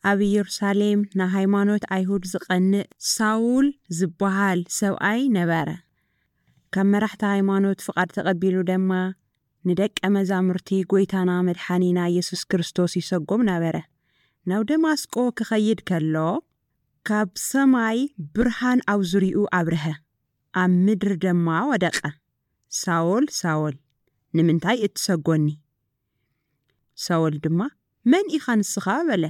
ኣብ ኢየሩሳሌም ንሃይማኖት ኣይሁድ ዝቐንእ ሳውል ዝበሃል ሰብኣይ ነበረ። ካብ መራሕቲ ሃይማኖት ፍቓድ ተቐቢሉ ድማ ንደቀ መዛሙርቲ ጎይታና መድሓኒና ኢየሱስ ክርስቶስ ይሰጎም ነበረ። ናብ ደማስቆ ክኸይድ ከሎ ካብ ሰማይ ብርሃን ኣብ ዙሪኡ ኣብርሀ፣ ኣብ ምድሪ ድማ ወደቐ። ሳውል ሳውል ንምንታይ እትሰጎኒ? ሳውል ድማ መን ኢኻ ንስኻ በለ።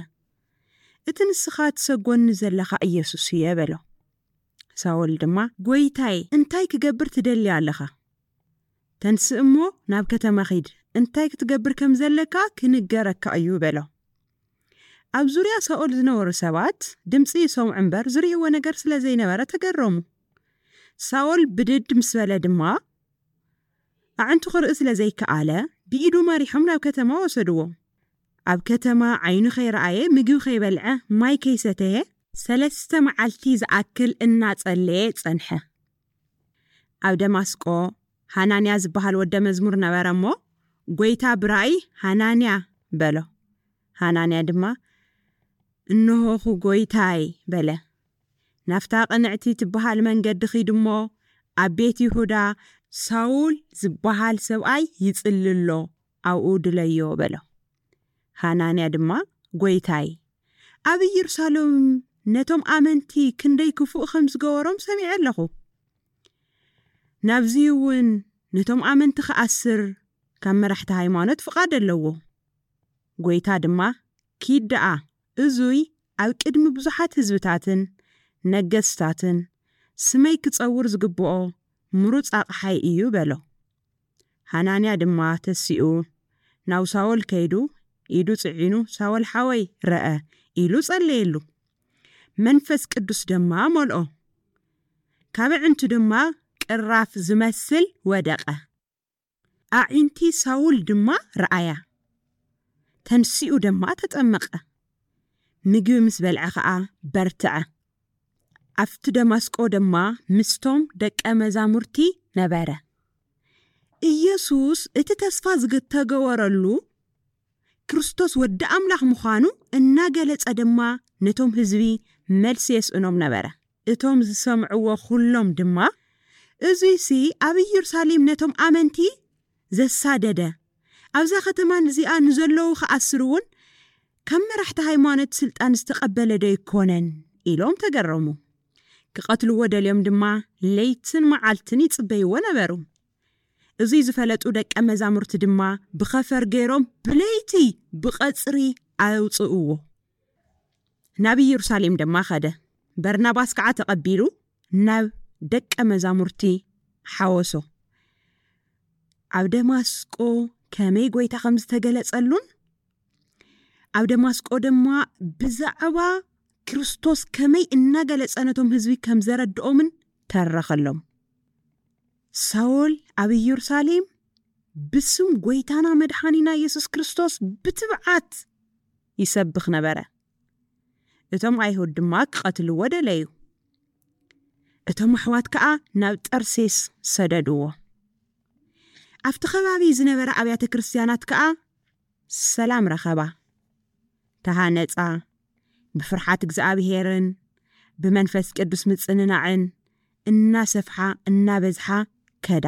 እቲ ንስኻ ትሰጎኒ ዘለኻ ኢየሱስ እየ በሎ። ሳውል ድማ ጎይታይ እንታይ ክገብር ትደሊ ኣለኻ? ተንስእ እሞ ናብ ከተማ ኺድ፣ እንታይ ክትገብር ከም ዘለካ ክንገረካ እዩ በሎ። ኣብ ዙርያ ሳኦል ዝነበሩ ሰባት ድምፂ ይሰምዑ እምበር ዝርእይዎ ነገር ስለ ዘይነበረ ተገረሙ። ሳኦል ብድድ ምስ በለ ድማ ኣዕንቱ ክርኢ ስለ ዘይከኣለ ብኢዱ መሪሖም ናብ ከተማ ወሰድዎ። ኣብ ከተማ ዓይኑ ከይረኣየ ምግቢ ከይበልዐ ማይ ከይሰተየ ሰለስተ መዓልቲ ዝኣክል እናጸለየ ጸንሐ። ኣብ ደማስቆ ሃናንያ ዝበሃል ወደ መዝሙር ነበረ እሞ ጎይታ ብራእይ ሃናንያ በሎ። ሃናንያ ድማ እንሆኹ ጎይታይ በለ። ናብታ ቅንዕቲ ትበሃል መንገዲ ኺድ እሞ ኣብ ቤት ይሁዳ ሳውል ዝበሃል ሰብኣይ ይጽሊ ኣሎ፣ ኣብኡ ድለዮ በሎ። ሃናንያ ድማ ጎይታይ ኣብ ኢየሩሳሌም ነቶም ኣመንቲ ክንደይ ክፉእ ከም ዝገበሮም ሰሚዐ ኣለኹ። ናብዚ እውን ነቶም ኣመንቲ ክኣስር ካብ መራሕቲ ሃይማኖት ፍቓድ ኣለዎ። ጎይታ ድማ ኪድ ደኣ እዙይ ኣብ ቅድሚ ብዙሓት ህዝብታትን ነገስታትን ስመይ ክጸውር ዝግብኦ ምሩፅ ኣቕሓይ እዩ በሎ። ሃናንያ ድማ ተሲኡ ናብ ሳወል ከይዱ ኢዱ ጽዒኑ ሳወል ሓወይ ረአ ኢሉ ጸለየሉ። መንፈስ ቅዱስ ድማ መልኦ። ካብ ኣዕንቱ ድማ ቅራፍ ዝመስል ወደቐ። ኣዒንቲ ሳውል ድማ ረኣያ። ተንሲኡ ድማ ተጠመቐ። ምግቢ ምስ በልዐ ኸኣ በርትዐ። ኣብቲ ደማስቆ ድማ ምስቶም ደቀ መዛሙርቲ ነበረ። ኢየሱስ እቲ ተስፋ ዝተገበረሉ ክርስቶስ ወዲ ኣምላኽ ምዃኑ እናገለጸ ድማ ነቶም ህዝቢ መልሲ የስእኖም ነበረ። እቶም ዝሰምዕዎ ኩሎም ድማ እዙይሲ ኣብ ኢየሩሳሌም ነቶም ኣመንቲ ዘሳደደ ኣብዛ ከተማ እዚኣ ንዘለዉ ክኣስር እውን ካብ መራሕቲ ሃይማኖት ስልጣን ዝተቐበለ ዶ ይኮነን ኢሎም ተገረሙ። ክቐትልዎ ደልዮም ድማ ለይትን መዓልትን ይጽበይዎ ነበሩ። እዙይ ዝፈለጡ ደቀ መዛሙርቲ ድማ ብኸፈር ገይሮም ብለይቲ ብቐጽሪ ኣውፅእዎ። ናብ ኢየሩሳሌም ድማ ኸደ። በርናባስ ከዓ ተቐቢሉ ናብ ደቀ መዛሙርቲ ሓወሶ። ኣብ ደማስቆ ከመይ ጎይታ ከም ዝተገለጸሉን ኣብ ደማስቆ ድማ ብዛዕባ ክርስቶስ ከመይ እናገለጸ ነቶም ህዝቢ ከም ዘረድኦምን ተረኸሎም። ሳውል ኣብ ኢየሩሳሌም ብስም ጎይታና መድሓኒና ኢየሱስ ክርስቶስ ብትብዓት ይሰብኽ ነበረ። እቶም ኣይሁድ ድማ ክቐትልዎ ደለዩ። እቶም ኣሕዋት ከኣ ናብ ጠርሴስ ሰደድዎ። ኣብቲ ከባቢ ዝነበረ ኣብያተ ክርስትያናት ከኣ ሰላም ረኸባ፣ ተሃነጻ፣ ብፍርሓት እግዚኣብሄርን ብመንፈስ ቅዱስ ምጽንናዕን እናሰፍሓ እናበዝሓ ከዳ።